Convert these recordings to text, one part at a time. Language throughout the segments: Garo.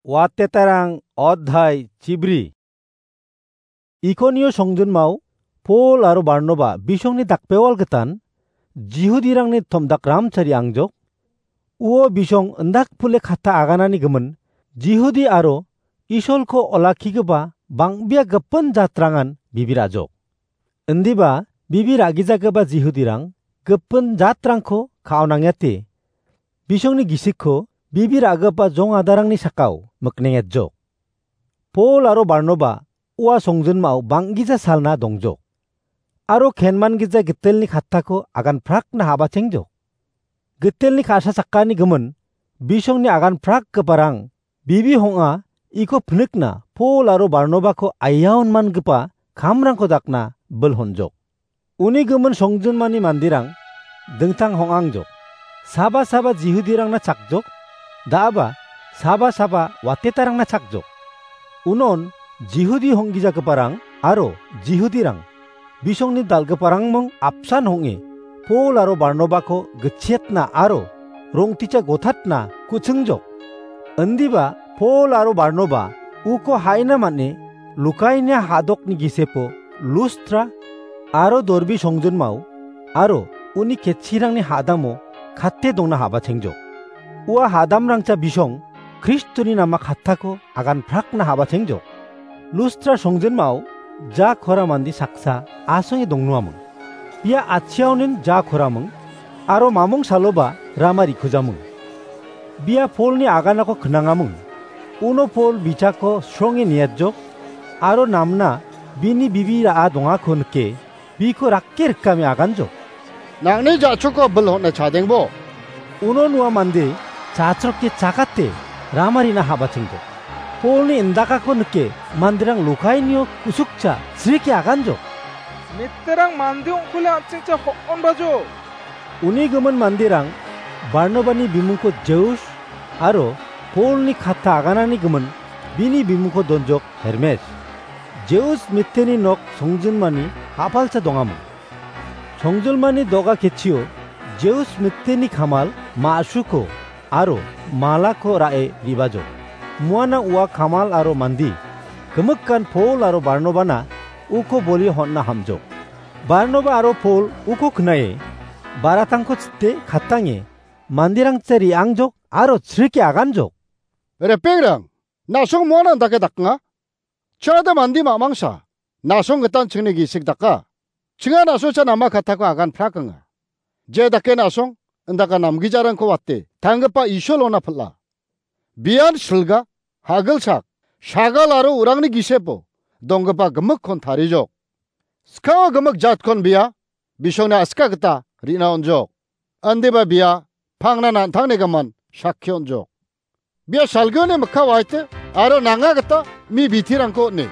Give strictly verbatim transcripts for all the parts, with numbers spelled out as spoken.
Watetarang odhai chibri. Ikonio songjinmao Pol aro Barnoba bisongni dakbewal gitan Jihudirangni tomdak ramchari angjok. Uo bisong indak pule kata aganani gimin Jihudi aro Isolko olakkigipa bang·bea gipin jatrangan bibirajok. Indiba bibi ra·gijagipa Jihudirang gipin jatrangko ka·onangete, bisongni gisikko bibi ra·gipa jong adarangni sakao miknengetjok. Pol aro Barnoba ua songjinmao bang·gija salna dongjok. Aro kenman gija gitelni kattako agan prakna habachengjok. Gitelni ka·sa sakani gimin bisongni agan prakgiparang bibi hong·a iko pinikna Pol aro Barnobako aiaon mangipa kamrangko dakna bil honjok. Uni gimin songjinmani manderang dingtang hong·angjok. Saba saba Jihudirangna chakjok, da·aba saba saba watetarangna chakjok. Unon Jihudi honggijagiparang aro Jihudirang bisongni dal·giparangming apsan hong·e Pol aro Barnobako gitchetna aro rongticha gotatna ku·chingjok. Indiba Pol aro Barnoba uko ha·ina man·e Lukainia ha·dokni gisepo Lustra aro Dorbi songjinmao aro uni ketchirangni ha·damo kate dongna habachengjok. Ua ha·damrangcha bisong Kristoni nama kattako agan prakna habachengjok. Lustra songjinmao ja kora mande saksa asonge dongnoaming. Bia atchiaonin ja koraming aro mamung saloba rama rikujaming. Bia Polni aganako knangaming. Uno Pol bichako sronge niatjok aro namna bini bibi ra·a dongako nike biko rakke rikame aganjok. Nangni ja·choko bil hon·e chadengbo. Uno ua mande chachroke chakate ramarina habachengjok. Polni indakako nike manderang Lukainio kusukcha srike aganjok. Miterang mande ong·kule an·chingcha hon·onbajo. Uni gimin manderang Barnobani bimungko Jeus aro Polni katta aganani gimin bini bimungko donjok Hermes. Jeus miteni nok songjinmani ha·palcha dongaming. Songjinmani do·ga ketchio Jeus miteni kamal ma·suko aro malako ra·e ribajo. Muana ua kamal aro mande gimikan Pol aro Barnobana uko boli hon·na hamjok. Barnoba aro Pol uko knae baratangko chite katange manderangcha re·angjok aro chrike aganjok. Repengrang, na·song muana indake daknga? Chingade mande ma·mangsa na·song gitan chingni gisik daka. Chinga na·songcha nama kattako agan prakenga. Je dake na·song indaka namgijarangko wate tanggipa Isolona pil·a. Bian silga, hagilsak, sagal aro urangni gisepo donggipa gimikkon tarijok. Skao gimik jatkon bia bisongni aska gita rina on·jok. Indiba bia pangna nantangni gimin sakki on·jok. Bia salgioni mikka waite aro nanga gita mi bitirangko on·e.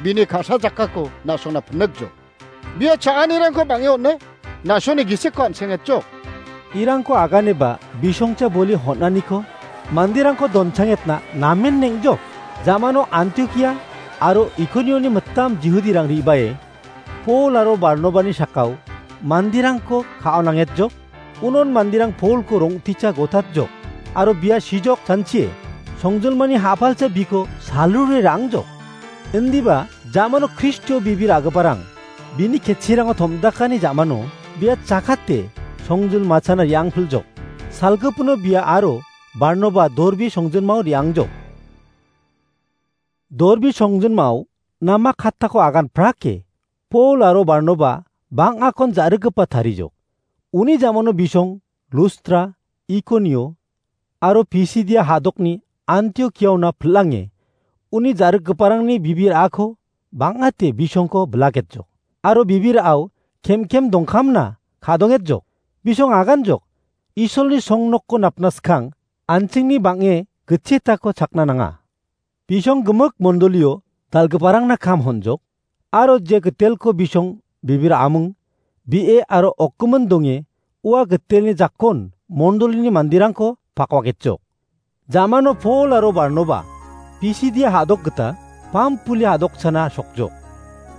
Bini ka·sa jakkako na·songna pinikjok. Bia cha·anirangko bang·e on·e, na·songni gisikko an·sengetjok. Irangko aganeba bisongcha boli hon·aniko manderangko donchangetna namen neng·jok. Jamano Antiokia aro Ikonioni mitam Jihudirang re·bae Pol aro Barnobani sakao manderangko ka·onangetjok. Unon manderang Polko rong·techa gotatjok aro bia sijok chanchie songjinmani ha·palcha biko salrure ra·angjok. Indiba jamano Kristio bibi ra·giparang bini ketchirango tom·dakani jamano bia chakate songjinmachana re·angpiljok. Salgipino bia aro Barnoba Dorbi songjinmao re·angjok. Dorbi songjinmao nama kattako agan prake Pol aro Barnoba bang·akon ja·rikgipa tarijok. Uni jamano bisong Lustra, Ikonio aro Pisidia ha·dokni Antiokiaona pil·ange uni ja·rikgiparangni bibir a·ako bang·ate bisongko bilaketjok. Aro bibir a·o kemkem dongkamna ka·dongetjok. Bisong aganjok, Isolni songnokko napna skang an·chingni bang·e gitchetako chakna nanga. Bisong gimik mondolio dal·giparangna kam honjok, aro je gitelko bisong bibir a·ming, bi·e aro okgimin donge ua gitelni jakon mondolini manderangko pakwaketjok. Jamano Pol aro Barnoba Pisidia ha·dok gita Pampuli ha·dokchana sokjok.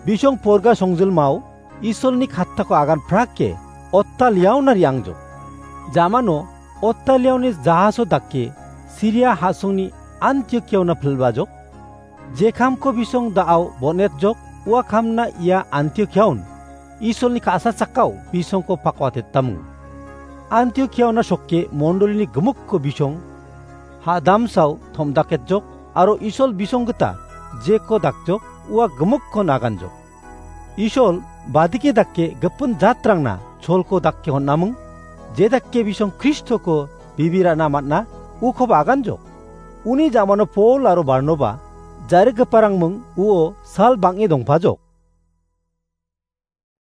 Bisong Porga songjilmao Isolni kattako agan prake Ottaliaona re·angjok. Jamano Ottaliaoni jahaso dake Siria ha·songni Antiokiaona pilbajok. Je kamko bisong da·ao bon·etjok, ua kamna ia Antiokiaon Isolni ka·sa sakao bisongko pakwatetamu. Antiokiaona sokke mondolini gimikko bisong ha·damsao tom·daketjok aro Isol bisong gita jeko dakjok, ua gimikkon aganjok. Isol badike dake gipin jatrangna cholko dake hon·aming, je dake bisong Kristoko bibirana man·a, ukoba aganjok. Uni jamano Pol aro Barnoba jarigiparangming uo sal bang·e dongpajok.